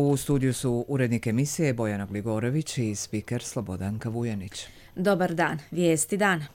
U studiju su urednik emisije Bojana Gligorović i spiker Slobodanka Vujanić. Dobar dan, vijesti dana.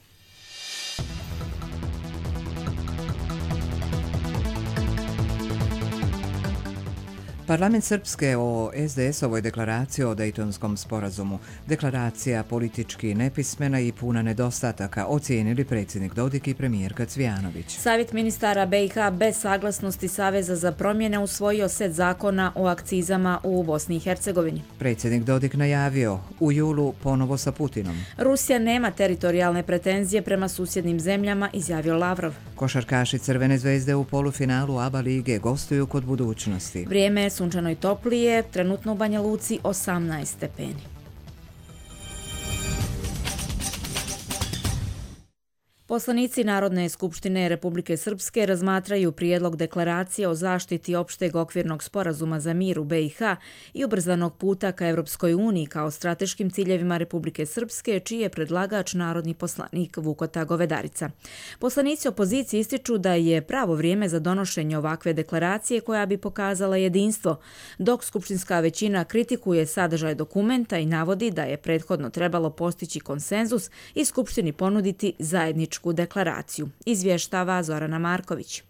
Parlament Srpske o SDS-ovoj deklaraciji o Dejtonskom sporazumu. Deklaracija politički nepismena i puna nedostataka, ocijenili predsjednik Dodik i premijerka Cvijanović. Savjet ministara BiH bez saglasnosti Saveza za promjene usvojio set zakona o akcizama u Bosni i Hercegovini. Predsjednik Dodik najavio u julu ponovo sa Putinom. Rusija nema teritorijalne pretenzije prema susjednim zemljama, izjavio Lavrov. Košarkaši Crvene zvezde u polufinalu ABA lige gostuju kod Budućnosti. Vrijeme je sunčano i toplije, trenutno u Banja Luci 18 stepeni. Poslanici Narodne skupštine Republike Srpske razmatraju prijedlog deklaracije o zaštiti opšteg okvirnog sporazuma za mir u BiH i ubrzanog puta ka Europskoj uniji kao strateškim ciljevima Republike Srpske, čiji je predlagač narodni poslanik Vukota Govedarica. Poslanici opozicije ističu da je pravo vrijeme za donošenje ovakve deklaracije koja bi pokazala jedinstvo, dok skupštinska većina kritikuje sadržaj dokumenta i navodi da je prethodno trebalo postići konsenzus i skupštini ponuditi zajedničku deklaraciju, izvještava Zorana Marković.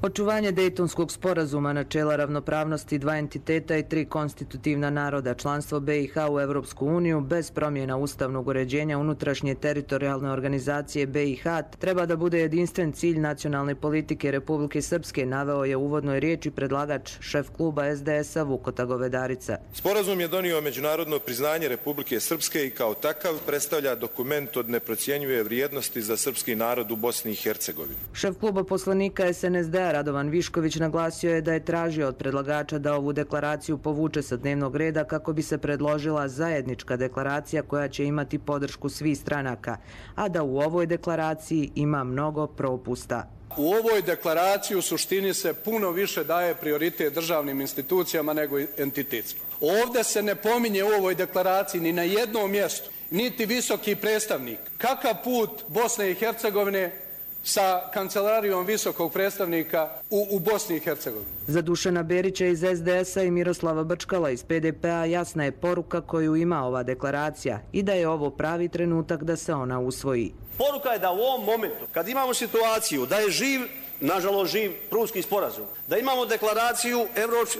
Očuvanje Dejtonskog sporazuma, načela ravnopravnosti dva entiteta i tri konstitutivna naroda, članstvo BiH u Europsku uniju bez promjena ustavnog uređenja unutrašnje teritorijalne organizacije BiH treba da bude jedinstven cilj nacionalne politike Republike Srpske, naveo je u uvodnoj riječi predlagač šef kluba SDS-a Vukota Govedarica. Sporazum je donio međunarodno priznanje Republike Srpske i kao takav predstavlja dokument od neprocjenjive vrijednosti za srpski narod u Bosni i Hercegovini. Šef kluba poslanika SNSD-a Radovan Višković naglasio je da je tražio od predlagača da ovu deklaraciju povuče sa dnevnog reda kako bi se predložila zajednička deklaracija koja će imati podršku svih stranaka, a da u ovoj deklaraciji ima mnogo propusta. U ovoj deklaraciji u suštini se puno više daje prioritet državnim institucijama nego entitetskim. Ovdje se ne pominje u ovoj deklaraciji ni na jednom mjestu, niti visoki predstavnik. Kakav put Bosne i Hercegovine sa kancelarijom visokog predstavnika u Bosni i Hercegovini. Za Dušana Berića iz SDS-a i Miroslava Brčkala iz PDP-a jasna je poruka koju ima ova deklaracija i da je ovo pravi trenutak da se ona usvoji. Poruka je da u ovom momentu, kad imamo situaciju da je nažalost živ Prunski sporazum, da imamo deklaraciju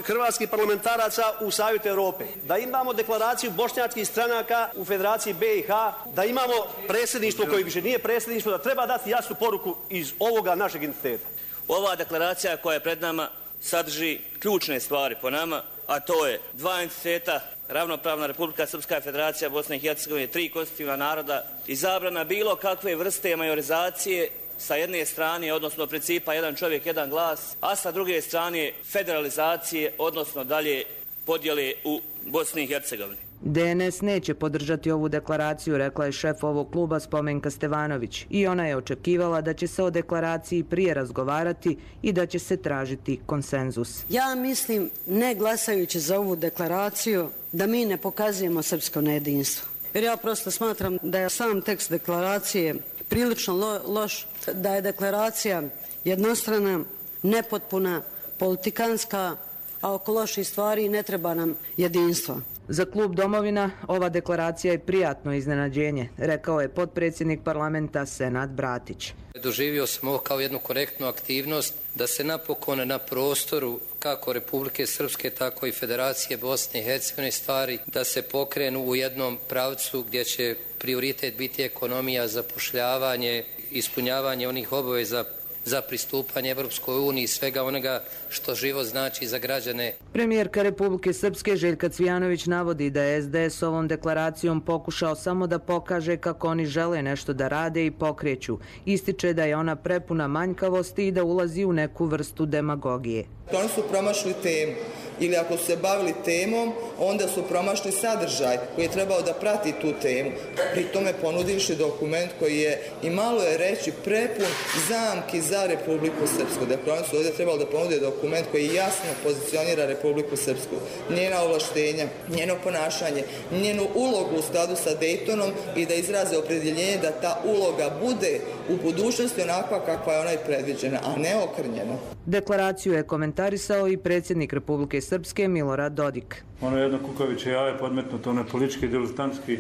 hrvatskih parlamentaraca u Savjetu Europe, da imamo deklaraciju bošnjačkih stranaka u Federaciji BiH, da imamo predsjedništvo koje više nije predsjedništvo, da treba dati jasnu poruku iz ovoga našeg entiteta. Ova deklaracija koja je pred nama sadrži ključne stvari po nama, a to je dva entiteta, ravnopravna Republika Srpska, Federacija Bosne i Hercegovine, tri konstitutivna naroda i zabrana bilo kakve vrste majorizacije sa jedne strane, odnosno principa jedan čovjek, jedan glas, a sa druge strane federalizacije, odnosno dalje podjele u Bosni i Hercegovini. DNS neće podržati ovu deklaraciju, rekla je šef ovog kluba Spomenka Stevanović, i ona je očekivala da će se o deklaraciji prije razgovarati i da će se tražiti konsenzus. Ja mislim, ne glasajući za ovu deklaraciju, da mi ne pokazujemo srpsko nejedinstvo. Jer ja prosto smatram da je sam tekst deklaracije prilično loš, da je deklaracija jednostrana, nepotpuna, politikanska, a oko loših stvari ne treba nam jedinstvo. Za klub Domovina ova deklaracija je prijatno iznenađenje, rekao je potpredsjednik parlamenta Senad Bratić. Doživio sam ovo kao jednu korektnu aktivnost da se napokon na prostoru kako Republike Srpske, tako i Federacije Bosne i Hercegovine stvari da se pokrenu u jednom pravcu gdje će prioritet biti ekonomija, zapošljavanje, ispunjavanje onih obaveza za pristupanje Evropskoj uniji i svega onoga što život znači za građane. Premijerka Republike Srpske Željka Cvijanović navodi da je SDS ovom deklaracijom pokušao samo da pokaže kako oni žele nešto da rade i pokreću. Ističe da je ona prepuna manjkavosti i da ulazi u neku vrstu demagogije. Oni su promašili temu. Ili ako su se bavili temom, onda su promašili sadržaj koji je trebao da prati tu temu. Pri tome ponudivši dokument koji je, i malo je reći, prepun zamki za Republiku Srpsku. Dakle, oni su ovdje trebali da ponude dokument koji jasno pozicionira Republiku Srpsku, njena ovlaštenja, njeno ponašanje, njenu ulogu u skladu sa Dejtonom i da izraze opredjeljenje da ta uloga bude u budućnosti onakva kakva je ona i predviđena, a ne okrnjena. Deklaraciju je komentarisao i predsjednik Republike Srpske Milorad Dodik. Ono je jedno kukavičje jaje podmetnuto, ono je politički, diletantski,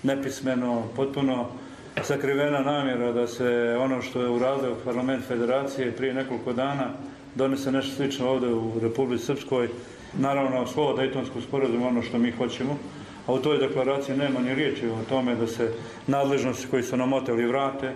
nepismeno, potpuno sakrivena namjera da se ono što je uradio parlament federacije prije nekoliko dana donese nešto slično ovdje u Republici Srpskoj. Naravno, slovo Dejtonskog sporazuma ono što mi hoćemo, a u toj deklaraciji nema ni riječi o tome da se nadležnosti koji su nam oteli vrate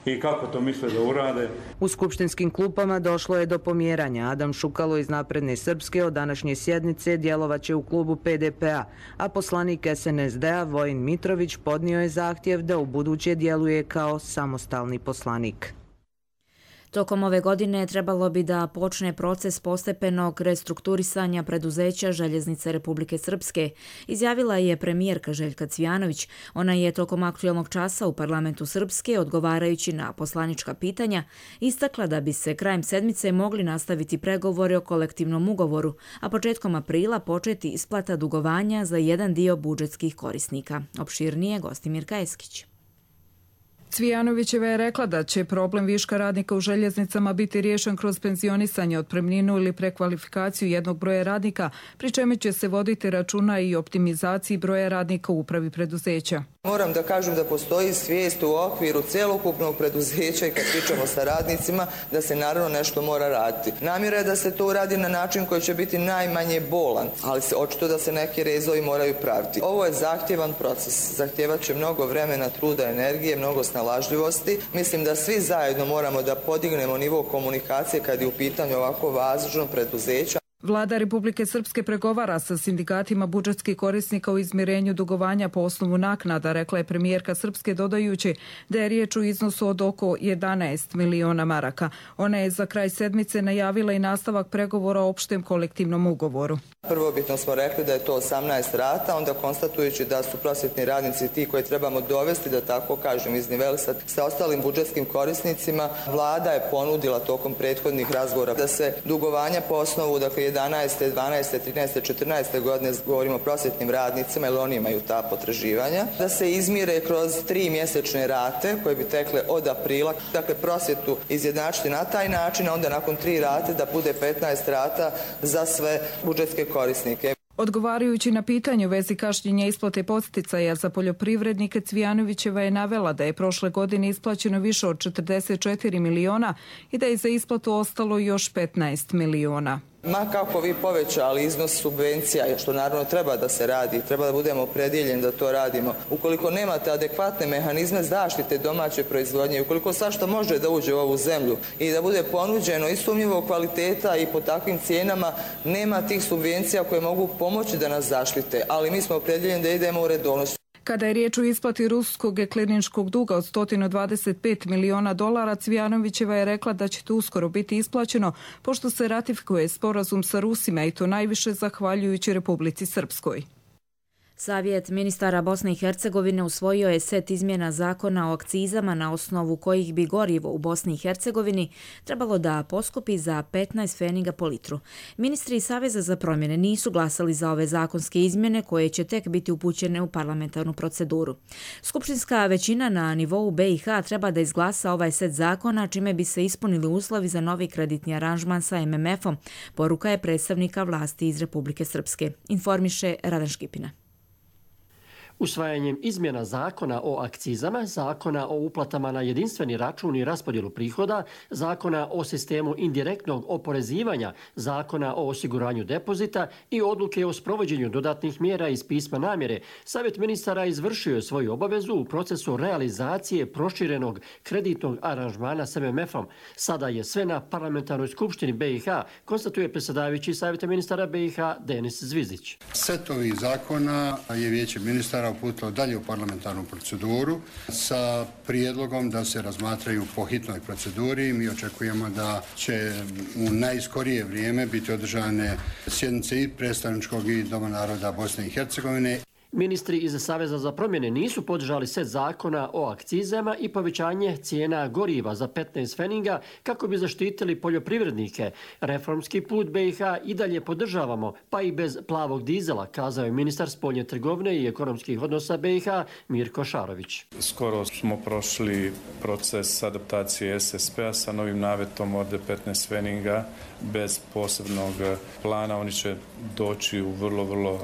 i kako to misle da urade. U skupštinskim klupama došlo je do pomjeranja. Adam Šukalo iz Napredne Srpske od današnje sjednice djelovaće u klubu PDP-a, a poslanik SNSD-a Vojin Mitrović podnio je zahtjev da ubuduće djeluje kao samostalni poslanik. Tokom ove godine trebalo bi da počne proces postepenog restrukturisanja preduzeća Željeznice Republike Srpske, izjavila je premijerka Željka Cvijanović. Ona je tokom aktualnog časa u parlamentu Srpske, odgovarajući na poslanička pitanja, istakla da bi se krajem sedmice mogli nastaviti pregovori o kolektivnom ugovoru, a početkom aprila početi isplata dugovanja za jedan dio budžetskih korisnika. Opširnije Gostimirka Eskić. Cvijanovićeva je rekla da će problem viška radnika u željeznicama biti riješen kroz penzionisanje, otpremninu ili prekvalifikaciju jednog broja radnika, pri čemu će se voditi računa i optimizaciji broja radnika u upravi preduzeća. Moram da kažem da postoji svijest u okviru celokupnog preduzeća i kad pričamo sa radnicima da se naravno nešto mora raditi. Namjera je da se to uradi na način koji će biti najmanje bolan, ali očito da se neki rezovi moraju praviti. Ovo je zahtjevan proces, zahtjevat će mnogo vremena, truda, energije, mnogo snalažljivosti. Mislim da svi zajedno moramo da podignemo nivo komunikacije kad je u pitanju ovako važno preduzeća. Vlada Republike Srpske pregovara sa sindikatima budžetskih korisnika u izmirenju dugovanja po osnovu naknada, rekla je premijerka Srpske, dodajući da je riječ o iznosu od oko 11 miliona maraka. Ona je za kraj sedmice najavila i nastavak pregovora o opštem kolektivnom ugovoru. Prvobitno smo rekli da je to 18 rata, onda konstatujući da su prosvjetni radnici ti koje trebamo dovesti, da tako kažem, iznivelisati sa ostalim budžetskim korisnicima. Vlada je ponudila tokom prethodnih razgovora da se dugovanja po osnovu, dakle 11., 12., 13., 14. godine, govorimo o prosvjetnim radnicima, jer oni imaju ta potraživanja, da se izmire kroz 3 mjesečne rate koje bi tekle od aprila. Dakle, prosvjetu izjednačiti na taj način, a onda nakon 3 rate da bude 15 rata za sve budžetske korisnike. Odgovarajući na pitanje u vezi kašnjenja isplate podsticaja za poljoprivrednike, Cvijanovićeva je navela da je prošle godine isplaćeno više od 44 miliona i da je za isplatu ostalo još 15 miliona. Ma kako vi povećali iznos subvencija, što naravno treba da se radi, treba da budemo opredjeljeni da to radimo. Ukoliko nemate adekvatne mehanizme zaštite domaće proizvodnje, ukoliko svašta može da uđe u ovu zemlju i da bude ponuđeno i sumnjivog kvaliteta i po takvim cijenama, nema tih subvencija koje mogu pomoći da nas zaštite, ali mi smo opredjeljeni da idemo u redovnost. Kada je riječ o isplati ruskog kliničkog duga od $125 miliona, Cvijanovićeva je rekla da će to uskoro biti isplaćeno, pošto se ratifikuje sporazum sa Rusima i to najviše zahvaljujući Republici Srpskoj. Savjet ministara Bosne i Hercegovine usvojio je set izmjena zakona o akcizama na osnovu kojih bi gorivo u Bosni i Hercegovini trebalo da poskupi za 15 pfeniga po litru. Ministri Saveza za promjene nisu glasali za ove zakonske izmjene koje će tek biti upućene u parlamentarnu proceduru. Skupštinska većina na nivou BiH treba da izglasa ovaj set zakona, čime bi se ispunili uslovi za novi kreditni aranžman sa MMF-om, poruka je predstavnika vlasti iz Republike Srpske. Informiše Radan Škipina. Usvajanjem izmjena zakona o akcizama, zakona o uplatama na jedinstveni račun i raspodjelu prihoda, zakona o sistemu indirektnog oporezivanja, zakona o osiguranju depozita i odluke o sprovođenju dodatnih mjera iz pisma namjere, Savjet ministara izvršio je svoju obavezu u procesu realizacije proširenog kreditnog aranžmana s MMF-om. Sada je sve na parlamentarnoj skupštini BiH, konstatuje predsjedavajući Savjeta ministara BiH Denis Zvizdić. Set ovih zakona je Vijeće ministara uputilo dalje u parlamentarnu proceduru sa prijedlogom da se razmatraju po hitnoj proceduri. Mi očekujemo da će u najskorije vrijeme biti održane sjednice i predstavničkog i Doma naroda Bosne i Hercegovine. Ministri iz Saveza za promjene nisu podržali set zakona o akcizama i povećanje cijena goriva za 15 pfeninga kako bi zaštitili poljoprivrednike. Reformski put BiH i dalje podržavamo, pa i bez plavog dizela, kazao je ministar spoljne trgovine i ekonomskih odnosa BiH Mirko Šarović. Skoro smo prošli proces adaptacije SSP-a sa novim navetom od 15 pfeninga bez posebnog plana. Oni će doći u vrlo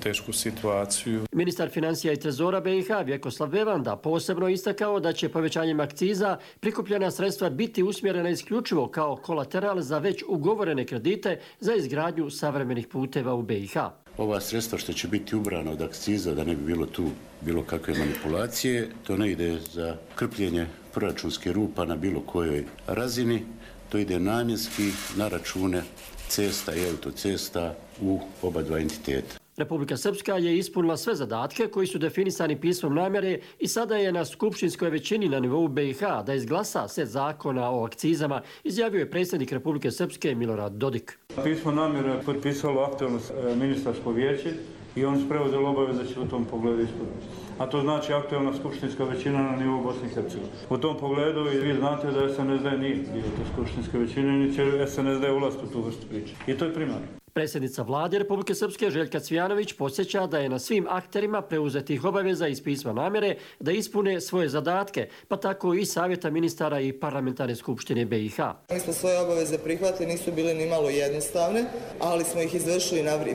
tešku situaciju. Ministar financija i trezora BiH Vjekoslav Bevanda posebno istakao da će povećanjem akciza prikupljena sredstva biti usmjerena isključivo kao kolateral za već ugovorene kredite za izgradnju savremenih puteva u BiH. Ova sredstva što će biti ubrana od akciza, da ne bi bilo tu bilo kakve manipulacije, to ne ide za krpljenje proračunske rupa na bilo kojoj razini, to ide namjenski na račune cesta i autocesta u oba dva entiteta. Republika Srpska je ispunila sve zadatke koji su definisani pismom namjere i sada je na skupštinskoj većini na nivou BiH da izglasa set zakona o akcizama, izjavio je predsjednik Republike Srpske Milorad Dodik. Pismo namjere je potpisalo aktualno ministarsko vijeće i oni su preuzeli obaveze da će u tom pogledu ispuniti. A to znači aktualna skupštinska većina na nivou Bosne i Hercegovine. U tom pogledu i vi znate da SNSD nije dio te skupštinske većine, ni će SNSD ulaziti u tu vrstu priče. I to je primarno. Predsjednica vlade Republike Srpske Željka Cvijanović podsjeća da je na svim akterima preuzetih obaveza iz pisma namjere da ispune svoje zadatke, pa tako i savjeta ministara i parlamentarne skupštine BiH. Mi smo svoje obaveze prihvatili, nisu bile ni malo jednostavne, ali smo ih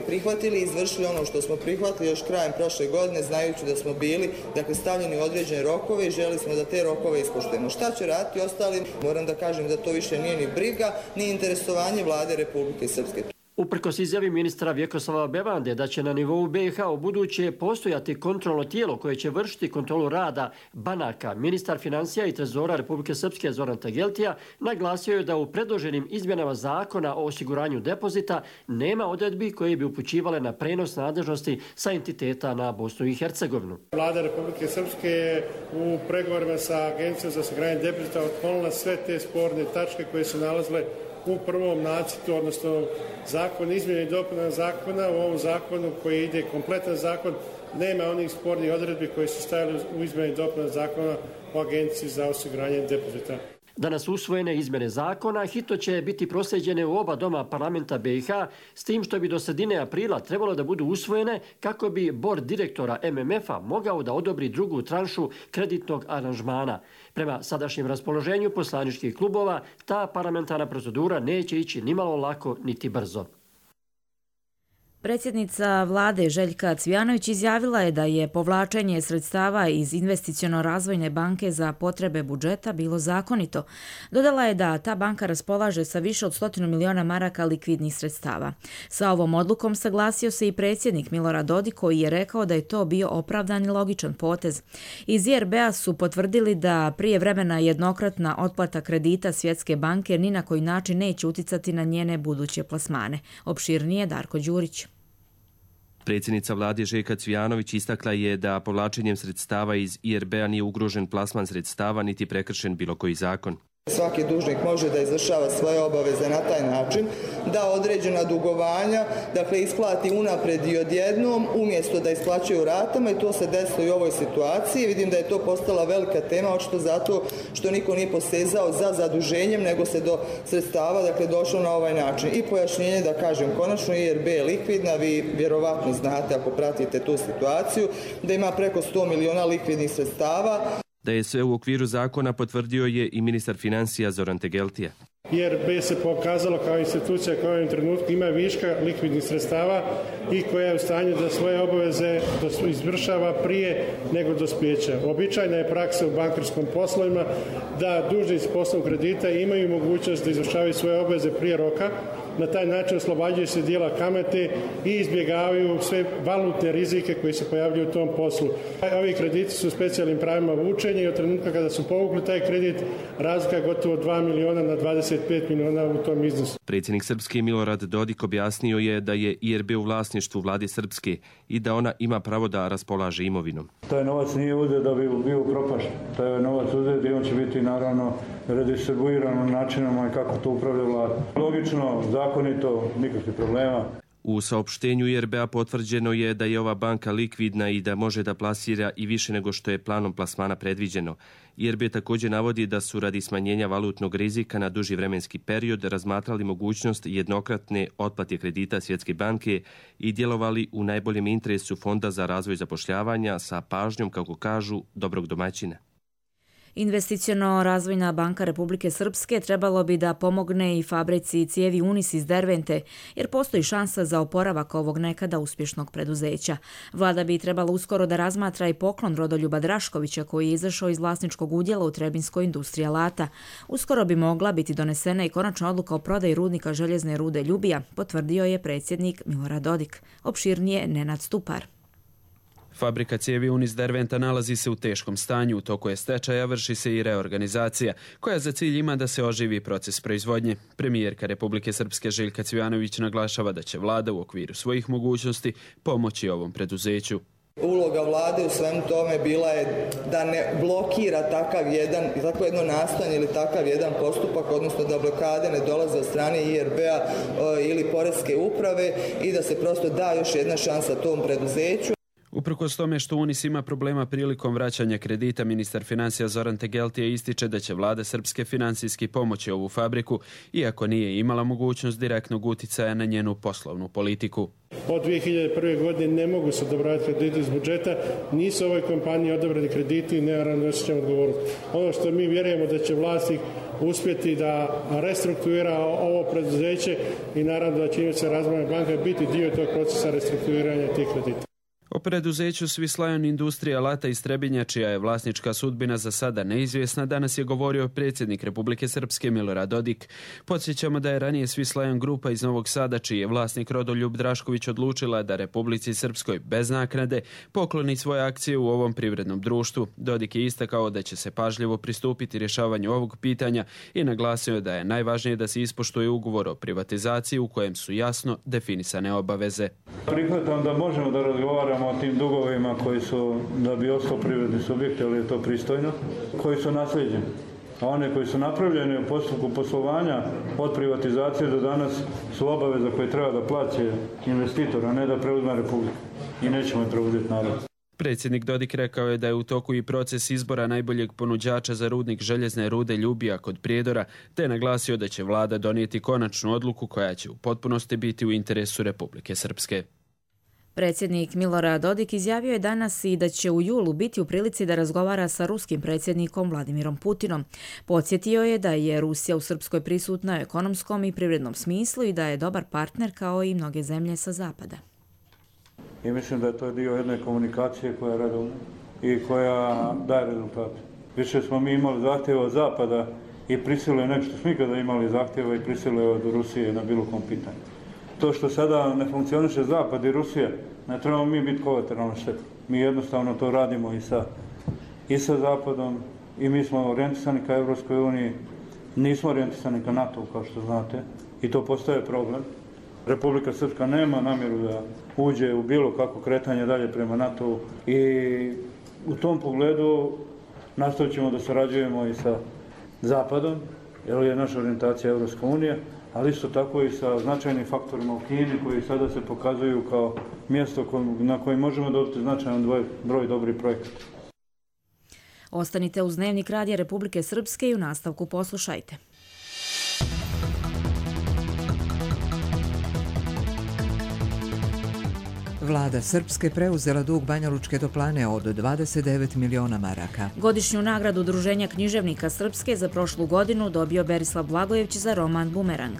prihvatili i izvršili ono što smo prihvatili još krajem prošle godine, znajući da smo bili stavljeni u određene rokove i želi smo da te rokove ispoštujemo. Šta će raditi ostali? Moram da kažem da to više nije ni briga, ni interesovanje vlade Republike Srpske. Uprkos izjavi ministra Vjekoslava Bevande da će na nivou BiH u buduće postojati kontrolno tijelo koje će vršiti kontrolu rada banaka, ministar financija i trezora Republike Srpske Zoran Tegeltija naglasio je da u predloženim izmjenama zakona o osiguranju depozita nema odredbi koje bi upućivale na prenos nadležnosti sa entiteta na Bosnu i Hercegovinu. Vlada Republike Srpske je u pregovorima sa Agencijom za osiguranje depozita otklonila sve te sporne tačke koje su nalazile u prvom nacrtu, odnosno zakon izmjene i dopuna zakona. U ovom zakonu koji ide kompletan zakon nema onih spornih odredbi koje su stajali u izmjeni i dopuna zakona o Agenciji za osiguranje depozita. Danas usvojene izmjene zakona hitno će biti proslijeđene u oba doma parlamenta BiH, s tim što bi do sredine aprila trebalo da budu usvojene kako bi bord direktora MMF-a mogao da odobri drugu tranšu kreditnog aranžmana. Prema sadašnjem raspoloženju poslaničkih klubova, ta parlamentarna procedura neće ići nimalo lako niti brzo. Predsjednica vlade Željka Cvijanović izjavila je da je povlačenje sredstava iz Investiciono-razvojne banke za potrebe budžeta bilo zakonito. Dodala je da ta banka raspolaže sa više od 100 miliona maraka likvidnih sredstava. Sa ovom odlukom saglasio se i predsjednik Milorad Dodik koji je rekao da je to bio opravdan i logičan potez. Iz IRB-a su potvrdili da prijevremena jednokratna otplata kredita Svjetske banke ni na koji način neće uticati na njene buduće plasmane. Opširnije Darko Đurić. Predsjednica vlade Željka Cvijanović istakla je da povlačenjem sredstava iz IRB-a nije ugrožen plasman sredstava niti prekršen bilo koji zakon. Svaki dužnik može da izvršava svoje obaveze na taj način, da određena dugovanja, isplati unapred i odjednom, umjesto da isplaćuje u ratama i to se desilo i u ovoj situaciji. Vidim da je to postala velika tema, očito zato što niko nije posezao za zaduženjem, nego se do sredstava došlo na ovaj način. I pojašnjenje da kažem, konačno IRB je likvidna, vi vjerovatno znate ako pratite tu situaciju, da ima preko 100 miliona likvidnih sredstava. Da je sve u okviru zakona potvrdio je i ministar financija Zoran Tegeltija. IRB se pokazalo kao institucija koja u ovom trenutku ima viška likvidnih sredstava i koja je u stanju da svoje obaveze izvršava prije nego dospijeća. Običajna je praksa u bankarskim poslovima da dužnici poslovnog kredita imaju mogućnost da izvršavaju svoje obaveze prije roka. Na taj način oslobađaju se dijela kamate i izbjegavaju sve valutne rizike koji se pojavljuju u tom poslu. Ovi krediti su specijalnim pravima vučenja i od trenutka kada su povukli taj kredit razlika je gotovo 2 miliona na 25 miliona u tom iznosu. Predsjednik Srpske Milorad Dodik objasnio je da je IRB u vlasništvu vlade Srpske i da ona ima pravo da raspolaže imovinom. Taj novac nije uzet da bi bio propašten. Taj novac uzet i on će biti naravno redistribuiran načinama i kako to upravlja vlada. Logično, zakonito, nikakvih problema. U saopštenju IRB-a potvrđeno je da je ova banka likvidna i da može da plasira i više nego što je planom plasmana predviđeno. IRB također navodi da su radi smanjenja valutnog rizika na duži vremenski period razmatrali mogućnost jednokratne otplate kredita Svjetske banke i djelovali u najboljem interesu Fonda za razvoj zapošljavanja sa pažnjom, kako kažu, dobrog domaćina. Investiciono-razvojna banka Republike Srpske trebalo bi da pomogne i fabrici cijevi Unis iz Dervente, jer postoji šansa za oporavak ovog nekada uspješnog preduzeća. Vlada bi trebala uskoro da razmatra i poklon Rodoljuba Draškovića, koji je izašao iz vlasničkog udjela u Trebinskoj industriji alata. Uskoro bi mogla biti donesena i konačna odluka o prodaji rudnika željezne rude Ljubija, potvrdio je predsjednik Milorad Dodik. Opširnije Nenad Stupar. Fabrika cijevi Unis Derventa nalazi se u teškom stanju, u toku je stečaja, vrši se i reorganizacija, koja za cilj ima da se oživi proces proizvodnje. Premijerka Republike Srpske Željka Cvijanović naglašava da će vlada u okviru svojih mogućnosti pomoći ovom preduzeću. Uloga vlade u svemu tome bila je da ne blokira takvo jedno nastojanje ili takav jedan postupak, odnosno da blokade ne dolaze od strane IRB-a ili Poreske uprave i da se prosto da još jedna šansa tom preduzeću. Uprkos tome što Unis ima problema prilikom vraćanja kredita, ministar financija Zoran Tegeltije ističe da će vlada Srpske finansijski pomoći ovu fabriku, iako nije imala mogućnost direktnog uticaja na njenu poslovnu politiku. Od 2001. godine ne mogu se odobravati krediti iz budžeta, nisu ovoj kompaniji odobrani krediti i naravno osjećamo odgovornost. Ono što mi vjerujemo da će vlasnik uspjeti da restrukturira ovo preduzeće i naravno da će se Razvojna banka biti dio tog procesa restrukturiranja tih kredita. O preduzeću Swiss Lion Industrija alata iz Trebinja, čija je vlasnička sudbina za sada neizvjesna, danas je govorio predsjednik Republike Srpske Milorad Dodik. Podsjećamo da je ranije Swiss Lion grupa iz Novog Sada, čiji je vlasnik Rodoljub Drašković, odlučila da Republici Srpskoj bez naknade pokloni svoje akcije u ovom privrednom društvu. Dodik je istakao da će se pažljivo pristupiti rješavanju ovog pitanja i naglasio da je najvažnije da se ispoštuje ugovor o privatizaciji u kojem su jasno definisane obaveze. Prihvatam da možemo da razgovaramo o tim dugovima koji su, da bi ostao privredni subjekt, ali je to pristojno, koji su naslijeđeni. A one koji su napravljeni u postupku poslovanja od privatizacije do danas su obaveza koje treba da plaće investitor, a ne da preuzme Republika. I nećemo je preuzeti narod. Predsjednik Dodik rekao je da je u toku i proces izbora najboljeg ponuđača za rudnik željezne rude Ljubija kod Prijedora, te naglasio da će vlada donijeti konačnu odluku koja će u potpunosti biti u interesu Republike Srpske. Predsjednik Milorad Dodik izjavio je danas i da će u julu biti u prilici da razgovara sa ruskim predsjednikom Vladimirom Putinom. Podsjetio je da je Rusija u Srpskoj prisutna u ekonomskom i privrednom smislu i da je dobar partner kao i mnoge zemlje sa zapada. I mislim da je to dio jedne komunikacije koja je redovna i koja daje rezultate. Više smo mi imali zahtjeva od zapada i prisiluje nešto smo nikada imali zahtjeva i prisiluje od Rusije na bilo kom pitanju. To što sada ne funkcioniše Zapad i Rusija, ne trebamo mi biti kolateralna šteta. Mi jednostavno to radimo i sa Zapadom i mi smo orijentisani ka Evropskoj uniji, nismo orijentisani ka NATO, kao što znate, i to postaje problem. Republika Srpska nema namjeru da uđe u bilo kako kretanje dalje prema NATO i u tom pogledu nastavit ćemo da sarađujemo i sa Zapadom, jer je naša orijentacija Evropska unija, ali isto tako i sa značajnim faktorima u Kini koji sada se pokazuju kao mjesto na kojem možemo dobiti značajan broj dobrih projekata. Ostanite uz Dnevnik Radija Republike Srpske i u nastavku poslušajte. Vlada Srpske preuzela dug Banjalučke toplane od 29 miliona maraka. Godišnju nagradu Udruženja književnika Srpske za prošlu godinu dobio Berislav Blagojević za roman Bumerang.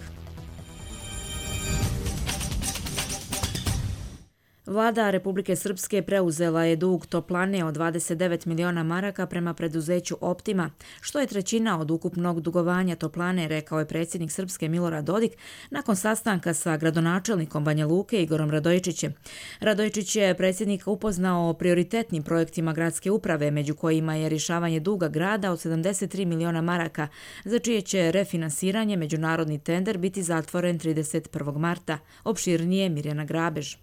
Vlada Republike Srpske preuzela je dug toplane od 29 miliona maraka prema preduzeću Optima, što je trećina od ukupnog dugovanja toplane, rekao je predsjednik Srpske Milorad Dodik nakon sastanka sa gradonačelnikom Banja Luke Igorom Radojičićem. Radojičić je predsjednika upoznao o prioritetnim projektima gradske uprave, među kojima je rješavanje duga grada od 73 miliona maraka, za čije će refinansiranje međunarodni tender biti zatvoren 31. marta. Opširnije Mirjana Grabež.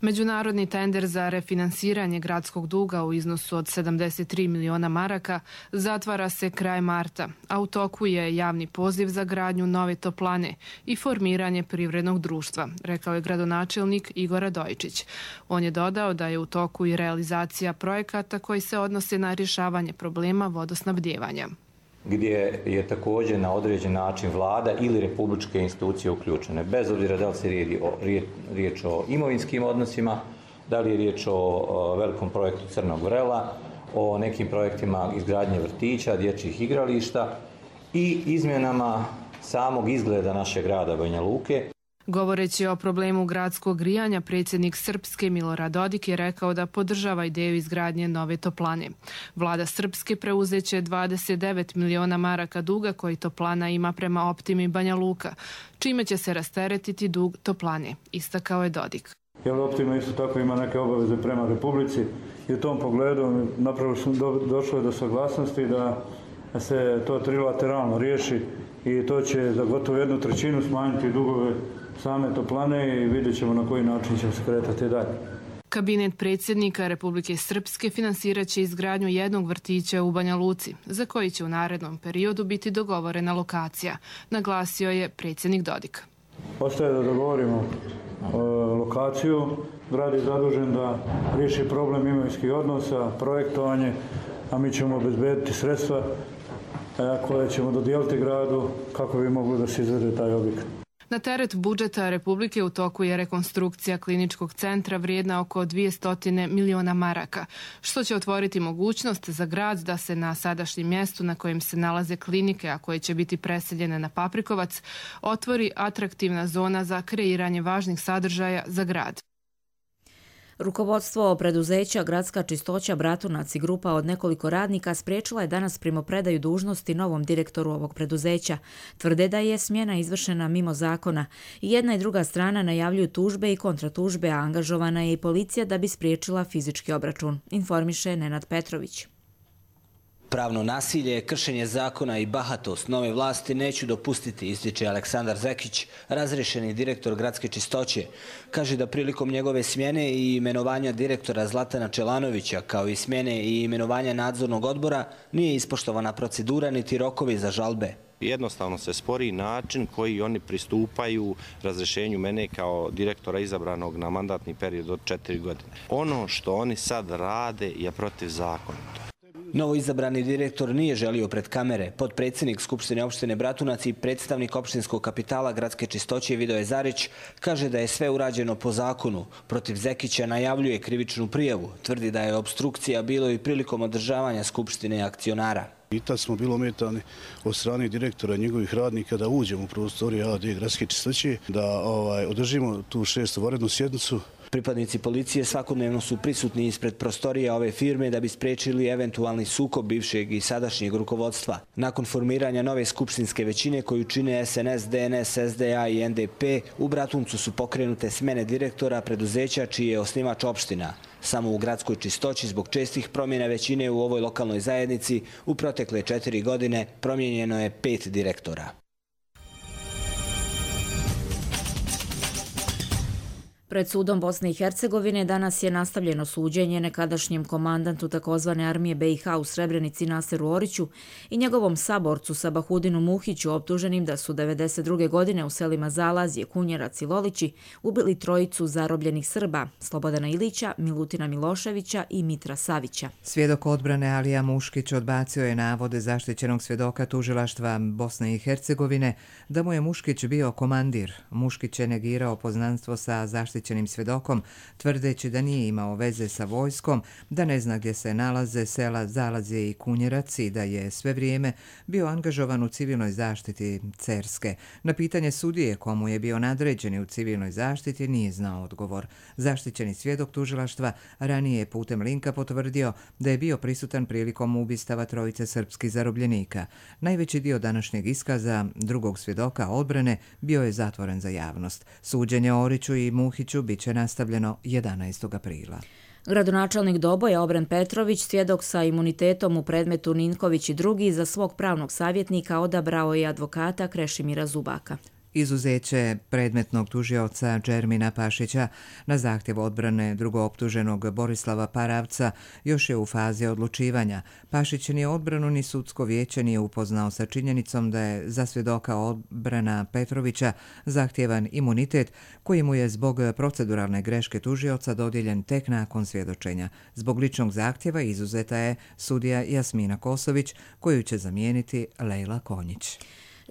Međunarodni tender za refinansiranje gradskog duga u iznosu od 73 miliona maraka zatvara se kraj marta, a u toku je javni poziv za gradnju nove toplane i formiranje privrednog društva, rekao je gradonačelnik Igor Radojičić. On je dodao da je u toku i realizacija projekata koji se odnose na rješavanje problema vodosnabdijevanja, gdje je također na određen način vlada ili republičke institucije uključene. Bez obzira da li se riječ o imovinskim odnosima, da li je riječ o velikom projektu Crnog vrela, o nekim projektima izgradnje vrtića, dječjih igrališta i izmjenama samog izgleda našeg grada Banja Luke. Govoreći o problemu gradskog grijanja, predsjednik Srpske Milorad Dodik je rekao da podržava ideju izgradnje nove toplane. Vlada Srpske preuzeće 29 miliona maraka duga koji toplana ima prema Optimi Banja Luka, čime će se rasteretiti dug toplane, istakao je Dodik. Jer Optima isto tako ima neke obaveze prema Republici i u tom pogledu napravo došlo je do saglasnosti da se to trilateralno riješi i to će za gotovo 1/3 smanjiti dugove same toplane i vidjet ćemo na koji način ćemo se kretati dalje. Kabinet predsjednika Republike Srpske finansirat će izgradnju jednog vrtića u Banja Luci, za koji će u narednom periodu biti dogovorena lokacija, naglasio je predsjednik Dodik. Ostaje da dogovorimo lokaciju. Grad je zadužen da riješi problem imovinskih odnosa, projektovanje, a mi ćemo obezbediti sredstva koje ćemo dodijeliti gradu kako bi moglo da se izvede taj objekat. Na teret budžeta Republike u toku je rekonstrukcija kliničkog centra vrijedna oko 200 miliona maraka, što će otvoriti mogućnost za grad da se na sadašnjem mjestu na kojem se nalaze klinike, a koje će biti preseljene na Paprikovac, otvori atraktivna zona za kreiranje važnih sadržaja za grad. Rukovodstvo preduzeća Gradska čistoća Bratunac i grupa od nekoliko radnika spriječila je danas primopredaju dužnosti novom direktoru ovog preduzeća. Tvrde da je smjena izvršena mimo zakona. I jedna i druga strana najavljuju tužbe i kontratužbe, a angažovana je i policija da bi spriječila fizički obračun, informiše Nenad Petrović. Pravno nasilje, kršenje zakona i bahatost nove vlasti neću dopustiti, ističe Aleksandar Zekić, razriješeni direktor Gradske čistoće. Kaže da prilikom njegove smjene i imenovanja direktora Zlatana Čelanovića, kao i smjene i imenovanja nadzornog odbora, nije ispoštovana procedura niti rokovi za žalbe. Jednostavno se spori način koji oni pristupaju razrješenju mene kao direktora izabranog na mandatni period od 4 godine. Ono što oni sad rade je protiv zakona. Novo izabrani direktor nije želio pred kamere. Potpredsjednik Skupštine opštine Bratunac i predstavnik opštinskog kapitala Gradske čistoće Vidoje Zarić kaže da je sve urađeno po zakonu. Protiv Zekića najavljuje krivičnu prijavu. Tvrdi da je obstrukcija bilo i prilikom održavanja Skupštine akcionara. I tad smo bili ometani od strane direktora i njegovih radnika da uđemo u prostorije AD Gradske čistoće, da održimo tu 6. vanrednu sjednicu. Pripadnici policije svakodnevno su prisutni ispred prostorija ove firme da bi spriječili eventualni sukob bivšeg i sadašnjeg rukovodstva. Nakon formiranja nove skupštinske većine koju čine SNS, DNS, SDA i NDP, u Bratuncu su pokrenute smjene direktora preduzeća čiji je osnivač opština. Samo u Gradskoj čistoći zbog čestih promjena većine u ovoj lokalnoj zajednici u protekle 4 godine promijenjeno je 5 direktora. Pred sudom Bosne i Hercegovine danas je nastavljeno suđenje nekadašnjem komandantu takozvane armije BiH u Srebrenici Naseru Oriću i njegovom saborcu Sabahudinu Muhiću, optuženim da su 1992. godine u selima Zalazje, Kunjerac i Lolići ubili trojicu zarobljenih Srba, Slobodana Ilića, Milutina Miloševića i Mitra Savića. Svjedok odbrane Alija Muškić odbacio je navode zaštićenog svjedoka tužilaštva Bosne i Hercegovine da mu je Muškić bio komandir. Muškić je negirao poznanstvo sa zaštićenim svjedokom, tvrdeći da nije imao veze sa vojskom, da ne zna gdje se nalaze sela Zalazje i Kunjerac i da je sve vrijeme bio angažovan u civilnoj zaštiti Cerske. Na pitanje sudije komu je bio nadređeni u civilnoj zaštiti nije znao odgovor. Zaštićeni svjedok tužilaštva ranije je putem linka potvrdio da je bio prisutan prilikom ubistava trojice srpskih zarobljenika. Najveći dio današnjeg iskaza drugog svjedoka odbrane bio je zatvoren za javnost. Suđenje Oriću i Muhiću biće nastavljeno 11. aprila. Gradonačelnik Doboja Obren Petrović, svjedok sa imunitetom u predmetu Ninković i drugi, za svog pravnog savjetnika odabrao je advokata Krešimira Zubaka. Izuzeće predmetnog tužioca Džermina Pašića na zahtjev odbrane drugooptuženog Borislava Paravca još je u fazi odlučivanja. Pašić ni odbranu ni sudsko vijeće nije upoznao sa činjenicom da je za svjedoka odbrana Petrovića zahtjevan imunitet koji mu je zbog proceduralne greške tužioca dodijeljen tek nakon svjedočenja. Zbog ličnog zahtjeva izuzeta je sudija Jasmina Kosović koju će zamijeniti Lejla Konjić.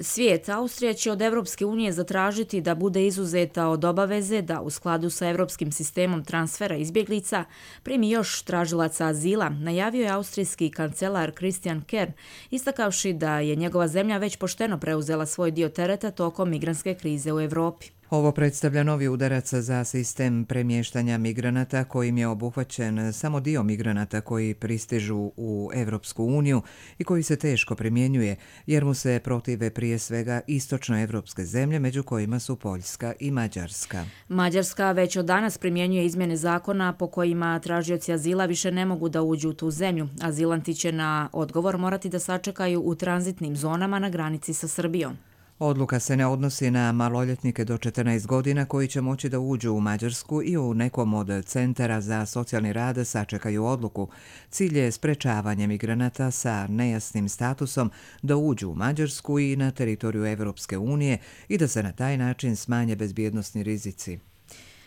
Svijet, Austrija će od Evropske unije zatražiti da bude izuzeta od obaveze da u skladu sa evropskim sistemom transfera izbjeglica primi još tražilaca azila, najavio je austrijski kancelar Christian Kern, istakavši da je njegova zemlja već pošteno preuzela svoj dio tereta tokom migrantske krize u Europi. Ovo predstavlja novi udarac za sistem premještanja migranata kojim je obuhvaćen samo dio migranata koji pristižu u Evropsku uniju i koji se teško primjenjuje jer mu se protive prije svega istočnoevropske zemlje među kojima su Poljska i Mađarska. Mađarska već od danas primjenjuje izmjene zakona po kojima tražioci azila više ne mogu da uđu u tu zemlju. Azilanti će na odgovor morati da sačekaju u tranzitnim zonama na granici sa Srbijom. Odluka se ne odnosi na maloljetnike do 14 godina koji će moći da uđu u Mađarsku i u nekom od centara za socijalni rad sačekaju odluku. Cilj je sprečavanje migranata sa nejasnim statusom da uđu u Mađarsku i na teritoriju Evropske unije i da se na taj način smanje bezbjednosni rizici.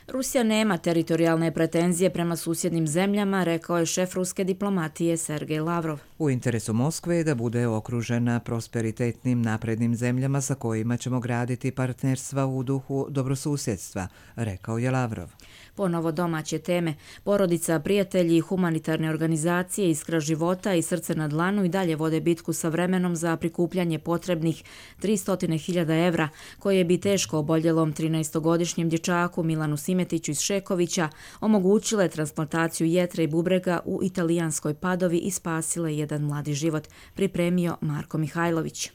Rusija nema teritorijalne pretenzije prema susjednim zemljama, rekao je šef ruske diplomatije Sergej Lavrov. U interesu Moskve je da bude okružena prosperitetnim naprednim zemljama sa kojima ćemo graditi partnerstva u duhu dobrosusjedstva, rekao je Lavrov. Ponovo domaće teme. Porodica, prijatelji, humanitarne organizacije, Iskra života i Srce na dlanu i dalje vode bitku sa vremenom za prikupljanje potrebnih 300.000 evra, koje bi teško oboljelom 13-godišnjem dječaku Milanu Simetiću iz Šekovića omogućile transplantaciju jetre i bubrega u italijanskoj Padovi i spasile jedan mladi život, pripremio Marko Mihajlović.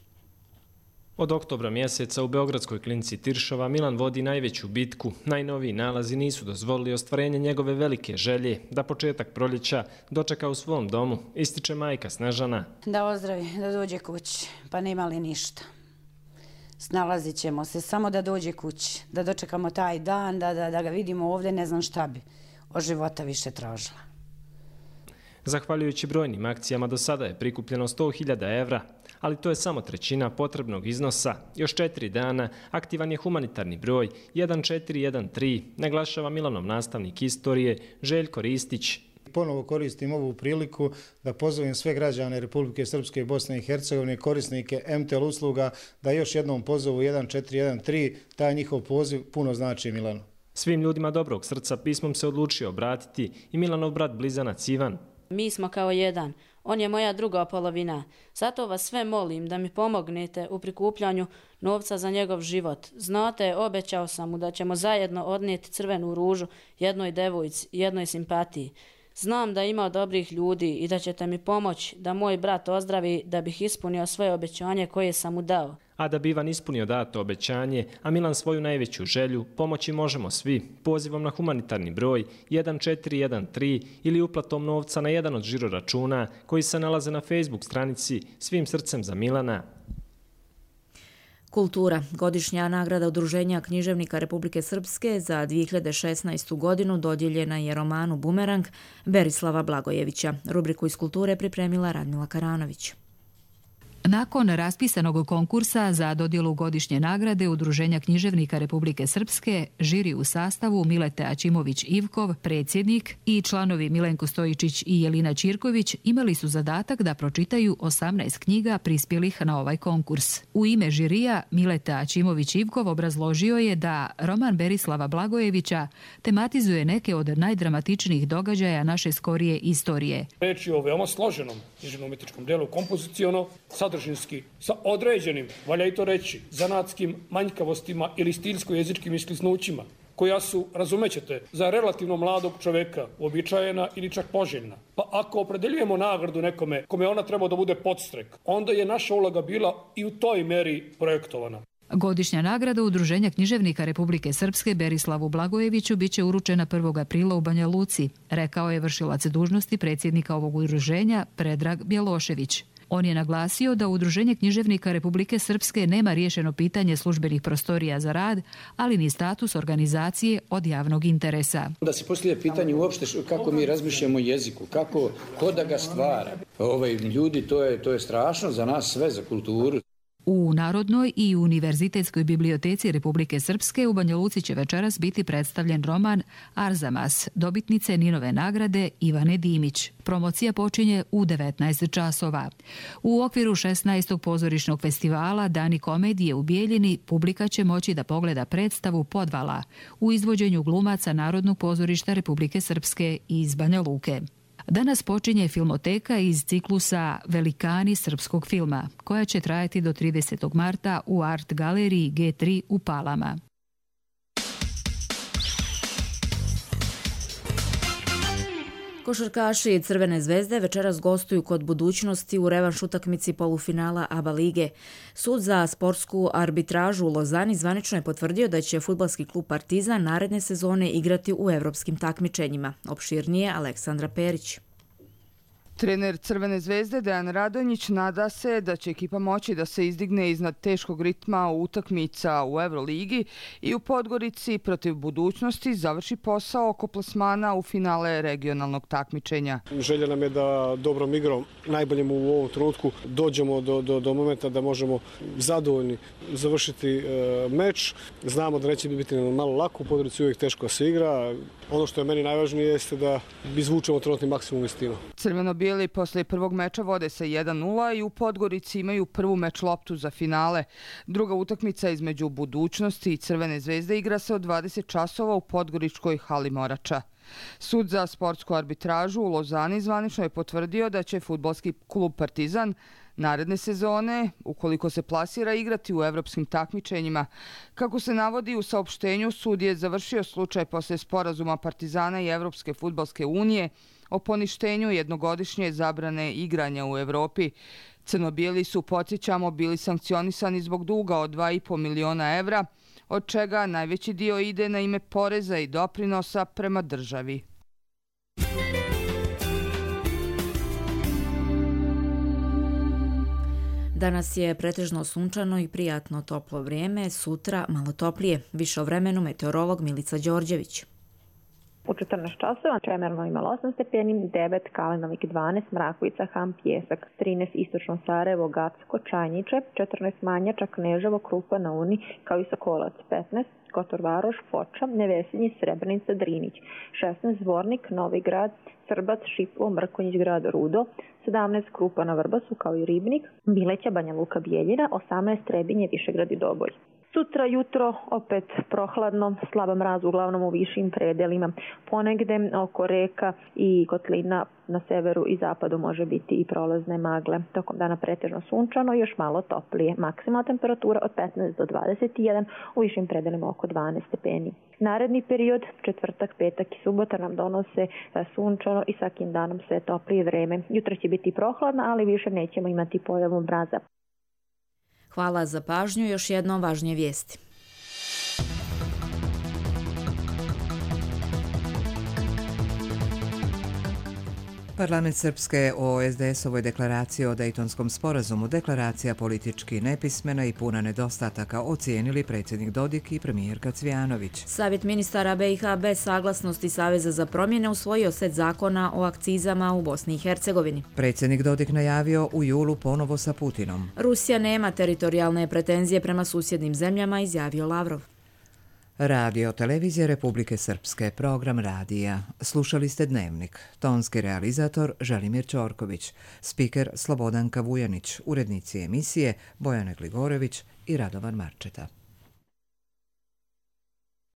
Od oktobra mjeseca u Beogradskoj klinici Tiršova Milan vodi najveću bitku. Najnoviji nalazi nisu dozvolili ostvarenje njegove velike želje da početak proljeća dočeka u svom domu, ističe majka Snežana. Da ozdravi, da dođe kući, pa nema li ništa. Snalazit ćemo se, samo da dođe kući, da dočekamo taj dan, da ga vidimo ovdje, ne znam šta bi od života više tražila. Zahvaljujući brojnim akcijama do sada je prikupljeno 100.000 evra, ali to je samo trećina potrebnog iznosa. Još 4 dana aktivan je humanitarni broj 1413, naglašava Milanov nastavnik istorije Željko Ristić. Ponovo koristim ovu priliku da pozovem sve građane Republike Srpske i Bosne i Hercegovine, korisnike MTL usluga, da još jednom pozovu 1413, taj njihov poziv puno znači Milanu. Svim ljudima dobrog srca pismom se odlučio obratiti i Milanov brat blizanac Ivan. Mi smo kao jedan. On je moja druga polovina. Zato vas sve molim da mi pomognete u prikupljanju novca za njegov život. Znate, obećao sam mu da ćemo zajedno odnijeti crvenu ružu jednoj devojci, jednoj simpatiji. Znam da ima dobrih ljudi i da ćete mi pomoći da moj brat ozdravi da bih ispunio svoje obećanje koje sam mu dao. A da bi Ivan ispunio dato obećanje, a Milan svoju najveću želju, pomoći možemo svi pozivom na humanitarni broj 1413 ili uplatom novca na jedan od žiroračuna koji se nalaze na Facebook stranici Svim srcem za Milana. Kultura. Godišnja nagrada Udruženja književnika Republike Srpske za 2016. godinu dodijeljena je romanu Bumerang Berislava Blagojevića. Rubriku iz kulture pripremila Radmila Karanović. Nakon raspisanog konkursa za dodjelu godišnje nagrade Udruženja književnika Republike Srpske, žiri u sastavu Mileta Ačimović-Ivkov, predsjednik, i članovi Milenko Stojičić i Jelina Čirković imali su zadatak da pročitaju 18 knjiga prispjelih na ovaj konkurs. U ime žirija Mileta Ačimović-Ivkov obrazložio je da roman Berislava Blagojevića tematizuje neke od najdramatičnijih događaja naše skorije istorije. Reč je o veoma složenom književno-umjetničkom delu, kompoziciono, sadržinski, sa određenim, valja i to reći, zanatskim manjkavostima ili stilsko-jezičkim isklisnućima, koja su, razumećete, za relativno mladog čoveka uobičajena ili čak poželjna. Pa ako opredeljujemo nagradu nekome kome ona treba da bude podstrek, onda je naša uloga bila i u toj meri projektovana. Godišnja nagrada Udruženja književnika Republike Srpske Berislavu Blagojeviću biće uručena 1. aprila u Banja Luci, rekao je vršilac dužnosti predsjednika ovog udruženja Predrag Bjelošević. On je naglasio da Udruženje književnika Republike Srpske nema riješeno pitanje službenih prostorija za rad, ali ni status organizacije od javnog interesa. Da se postavlja pitanje uopšte kako mi razmišljamo o jeziku, ko da ga stvara. Ljudi, to je strašno za nas sve, za kulturu. U Narodnoj i Univerzitetskoj biblioteci Republike Srpske u Banja Luci će večeras biti predstavljen roman Arzamas, dobitnice Ninove nagrade Ivane Dimić. Promocija počinje u 19 časova. U okviru 16. pozorišnog festivala Dani komedije u Bijeljini publika će moći da pogleda predstavu Podvala u izvođenju glumaca Narodnog pozorišta Republike Srpske iz Banja Luke. Danas počinje filmoteka iz ciklusa Velikani srpskog filma, koja će trajati do 30. marta u Art galeriji G3 u Palama. Košarkaši Crvene zvezde večeras gostuju kod Budućnosti u revanš utakmici polufinala ABA lige. Sud za sportsku arbitražu u Lozani zvanično je potvrdio da će fudbalski klub Partizan naredne sezone igrati u evropskim takmičenjima. Opširnije Aleksandra Perić. Trener Crvene zvezde Dejan Radonjić nada se da će ekipa moći da se izdigne iznad teškog ritma utakmica u Euroligi i u Podgorici protiv Budućnosti završi posao oko plasmana u finale regionalnog takmičenja. Želja nam je da dobrom igrom, najboljim u ovom trenutku, dođemo do momenta da možemo zadovoljni završiti meč. Znamo da neće biti malo lako, u Podgorici uvijek teško se igra. Ono što je meni najvažnije jeste da izvučemo trenutni maksimum iz tima. Crveno-bijeli posle prvog meča vode sa 1:0 i u Podgorici imaju prvu meč loptu za finale. Druga utakmica između Budućnosti i Crvene zvezde igra se od 20 časova u Podgoričkoj hali Morača. Sud za sportsku arbitražu u Lozani zvanično je potvrdio da će fudbalski klub Partizan naredne sezone, ukoliko se plasira, igrati u evropskim takmičenjima. Kako se navodi u saopštenju, sud je završio slučaj posle sporazuma Partizana i Evropske fudbalske unije o poništenju jednogodišnje zabrane igranja u Evropi. Crno-bijeli su, podsjećamo, bili sankcionisani zbog duga od 2,5 miliona evra, od čega najveći dio ide na ime poreza i doprinosa prema državi. Danas je pretežno sunčano i prijatno toplo vrijeme, sutra malo toplije. Više o vremenu meteorolog Milica Đorđević. U 14 časova Čemerno imalo 8 stepeni, 9 Kalinovik 12, Mrakovica, Ham, Pjesak, 13 Istočno Sarajevo, Gacko, Čajniče, 14 Manjača, Kneževo, Krupa, na Uni, kao i Sokolac, 15 Kotor Varoš, Foča, Nevesinji, Srebrenica, Drinić, 16 Zvornik, Novi Grad, Srbac, Šiplo, Mrkonjić, Grad, Rudo, 17 Krupa na Vrbasu, kao i Ribnik, Bileća, Banja Luka, Bijeljina, 18 Trebinje, Višegrad i Doboj. Sutra jutro opet prohladno, slaba mraz uglavnom u višim predelima. Ponegde oko reka i kotlina na severu i zapadu može biti i prolazne magle. Tokom dana pretežno sunčano, još malo toplije. Maksimalna temperatura od 15 do 21, u višim predelima oko 12 stepeni. Naredni period, četvrtak, petak i subota nam donose sunčano i svakim danom sve toplije vreme. Jutro će biti prohladno, ali više nećemo imati pojavu mraza. Hvala za pažnju, još jednom važnije vijesti. Parlament Srpske o SDS-ovoj deklaraciji o Dejtonskom sporazumu, deklaracija politički nepismena i puna nedostataka, ocijenili predsjednik Dodik i premijerka Cvijanović. Savjet ministara BiH bez saglasnosti Saveza za promjene usvojio set zakona o akcizama u Bosni i Hercegovini. Predsjednik Dodik najavio u julu ponovo sa Putinom. Rusija nema teritorijalne pretenzije prema susjednim zemljama, izjavio Lavrov. Radio Televizija Republike Srpske, program radija. Slušali ste Dnevnik. Tonski realizator Želimir Ćorković, spiker Slobodanka Vujanić, urednici emisije Bojana Gligorević i Radovan Marčeta.